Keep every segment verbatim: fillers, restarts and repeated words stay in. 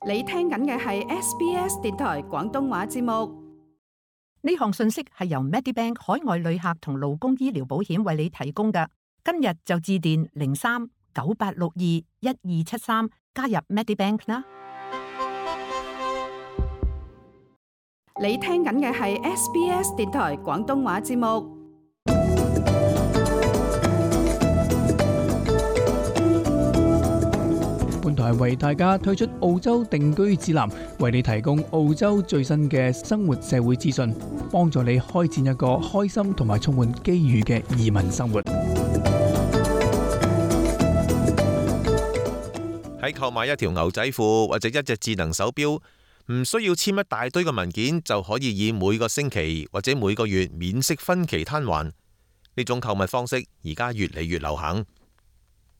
你聽緊嘅係 S B S 電台廣東話節目。呢項信息係由 Medibank 海外旅客同勞工醫療保險為你提供嘅。今日就致電零三九八六二一二七三加入 Medibank 啦。你聽緊嘅係 S B S 電台廣東話節目。本台為大家推出澳洲定居指南，為你提供澳洲最新嘅生活社會資訊，幫助你開展一個開心同埋充滿機遇嘅移民生活。喺購買一條牛仔褲或者一隻智能手錶，唔需要簽一大堆嘅文件，就可以以每個星期或者每個月免息分期攤還。呢種購物方式而家越嚟越流行。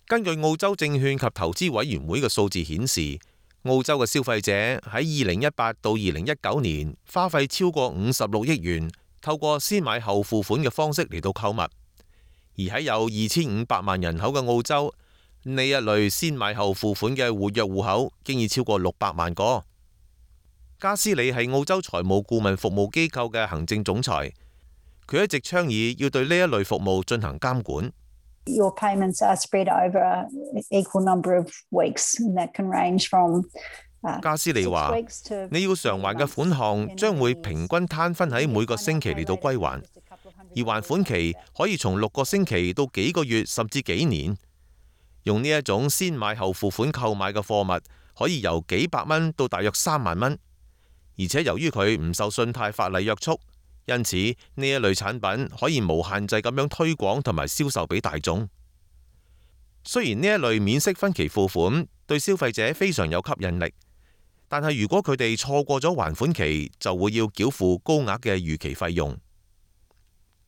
根據澳洲證券及投資委員會嘅數字顯示，澳洲嘅消費者喺二零一八到二零一九年花費超過五十六億元，透過先買後付款嘅方式嚟到購物。而喺有二千五百萬人口嘅澳洲，呢一類先買後付款嘅活躍戶口經已超過六百萬個。加斯里係澳洲財務顧問服務機構嘅行政總裁，佢一直倡議要對呢一類服務進行監管。Your payments are spread over an equal number of weeks, and that can range from 加斯利話：你要償還嘅款項將會平均攤分喺每個星期嚟到歸還，而還款期可以從六個星期到幾個月甚至幾年。用呢一種先買後付款購買嘅貨物，可以由幾百蚊到大約三萬蚊，而且由於佢唔受信貸法例約束。因此呢一類產品可以無限制咁樣推廣同埋銷售俾大眾。雖然呢一類免息分期付款對消費者非常有吸引力，但係如果佢哋錯過咗還款期，就會要繳付高額嘅逾期費用。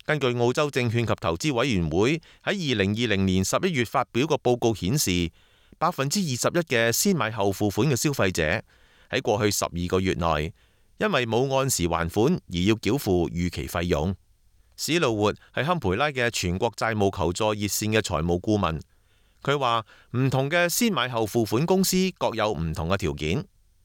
根據澳洲證券及投資委員會喺二零二零年十一月發表個報告顯示，百分之二十一嘅先買後付款嘅消費者喺過去十二個月內，因為冇按時還款而要繳付逾期費用。史路活係堪培拉嘅全國債務求助熱線嘅財務顧問，佢話唔同嘅先買後付款公司各有唔同嘅條件。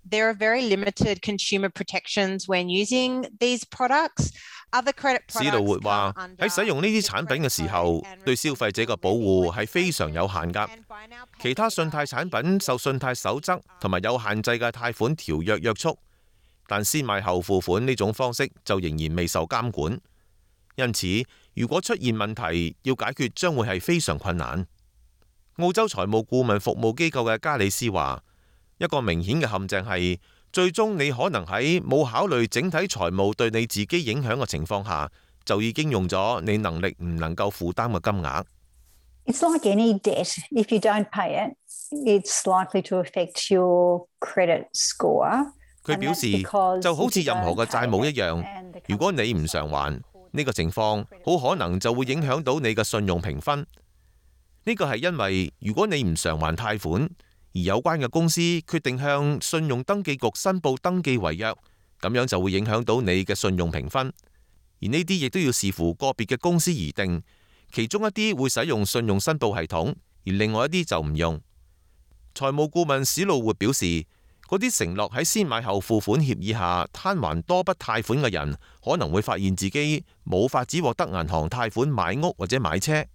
There are very limited consumer protections when using these products. Other credit products 史路活話喺使用呢啲產品嘅時候，對消費者嘅保護係非常有限㗎。其他信貸產品受信貸守則同埋有限制嘅貸款條約約束。但先買後付款呢種方式就仍然未受監管，因此如果出現問題，要解決將會係非常困難。澳洲財務顧問服務機構嘅加里斯話，一個明顯嘅陷阱係，最終你可能喺冇考慮整體財務對你自己影響嘅情況下，就已經用咗你能力唔能夠負擔嘅金額。It's like any debt. If you don't pay it, it's likely to affect your credit score. 佢表示，就好似任何嘅債務一樣，如果你唔償還，呢個情況好可能就會影響到你嘅信用評分。呢個係因為如果你唔償還貸款，而有關嘅公司決定向信用登記局申報登記違約，咁樣就會影響到你嘅信用評分。而呢啲亦都要視乎個別嘅公司而定，其中一啲會使用信用申報系統，而另外一啲就唔用。財務顧問史路活表示，嗰啲承諾喺先買後付款協議下攤還多筆貸款嘅人，可能會發現自己冇法子獲得銀行貸款買屋或者買車。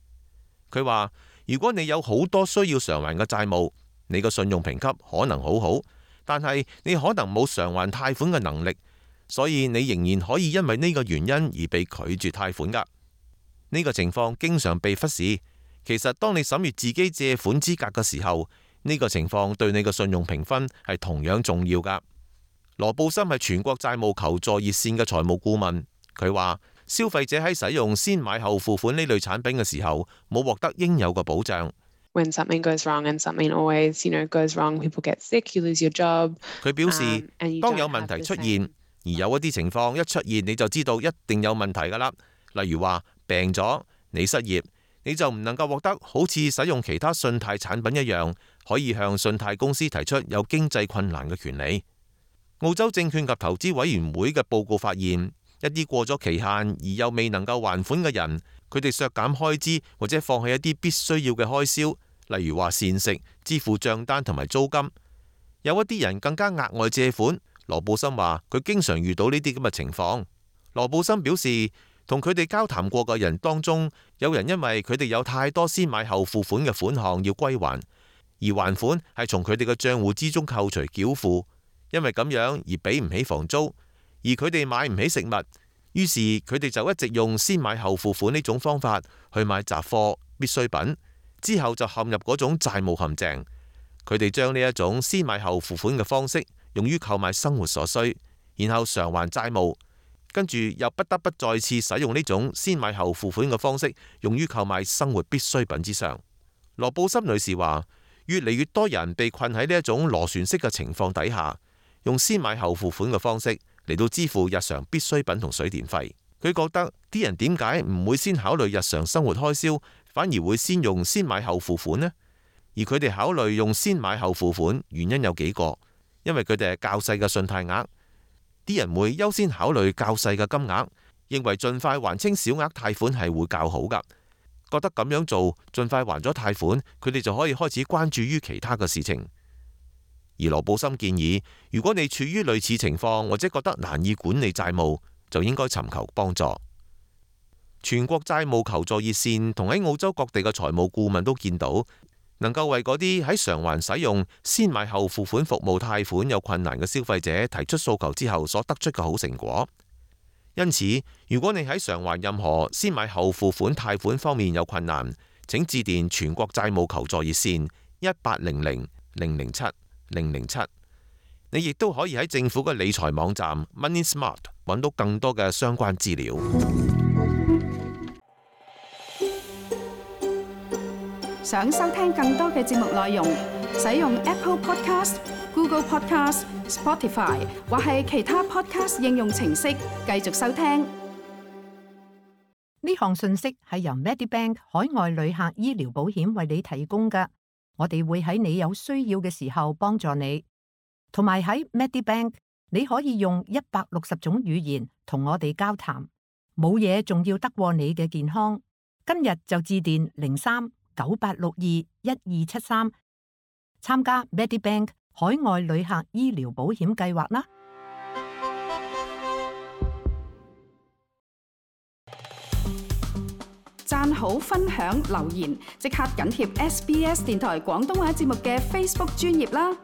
佢話：如果你有好多需要償還嘅債務，你個信用評級可能好好，但係你可能冇償還貸款嘅能力，所以你仍然可以因為呢個原因而被拒絕貸款㗎。呢個情況經常被忽視。其實當你審閱自己借款資格嘅時候，呢個情況對你嘅信用評分係同樣重要㗎。羅布森係全國債務求助熱線嘅財務顧問，佢話消費者喺使用先買後付款呢類產品嘅時候，冇獲得應有嘅保障。When something goes wrong, and something always, you know, goes wrong, people get sick, you lose your job. 佢表示，當有問題出現，而有一啲情況一出現，你就知道一定有問題㗎啦。例如話病咗，你失業，你就唔能夠獲得好似使用其他信貸產品一樣，可以向信貸公司提出有經濟困難嘅權利。澳洲證券及投資委員會嘅報告發現，一啲過咗期限而又未能夠還款嘅人，佢哋削減開支或者放棄一啲必須要嘅開銷，例如話膳食、支付帳單同埋租金。有一啲人更加額外借款。羅布森話佢經常遇到呢啲咁嘅情況。羅布森表示，同佢哋交談過嘅人當中，有人因為佢哋有太多先買後付款嘅款項要歸還，而還款係從佢哋嘅賬戶之中扣除繳付，因為咁樣而俾唔起房租，而佢哋買唔起食物，於是佢哋就一直用先買後付款呢種方法去買雜貨必需品，之後就陷入嗰種債務陷阱。佢哋將呢一種先買後付款嘅方式用於購買生活所需，然後償還債務，跟住又不得不再次使用呢種先買後付款嘅方式用於購買生活必需品之上。羅布森女士話，越嚟越多人被困喺呢一種螺旋式嘅情況底下，用先買後付款嘅方式嚟到支付日常必需品同水電費。佢覺得啲人點解唔會先考慮日常生活開銷，反而會先用先買後付款呢？而佢哋考慮用先買後付款，原因有幾個，因為佢哋係較細嘅信貸額，啲人會優先考慮較細嘅金額，認為盡快還清小額貸款係會較好㗎，覺得咁樣做盡快還咗貸款，佢哋就可以開始關注於其他嘅事情。而羅布森建議，如果你處於類似情況或者覺得難以管理債務，就應該尋求幫助。全國債務求助熱線同喺澳洲各地嘅財務顧問都見到，能夠為嗰啲喺償還使用先買後付款服務貸款有困難嘅消費者提出訴求之後所得出嘅好成果。因此，如果你喺償還任何先買後付款貸款方面有困難，請致電全國債務求助熱線一八零零零零七零零七。你亦都可以喺政府嘅理財網站 Money Smart 揾到更多嘅相關資料。想收聽更多嘅節目內容，使用 Apple Podcast、Google Podcast、Spotify 或係其他 Podcast 應用程式繼續收聽。呢項信息係由 Medibank 海外旅客醫療保險為你提供㗎。我哋會喺你有需要嘅時候幫助你，同埋喺 Medibank 你可以用一百六十種語言同我哋交談，冇嘢仲要得過你嘅健康。今日就致電零三九八六二一二七三，參加 Medibank 海外旅客醫療保險計劃啦！讚好、分享、留言，即刻緊貼 S B S 電台廣東話節目嘅 Facebook 專頁啦！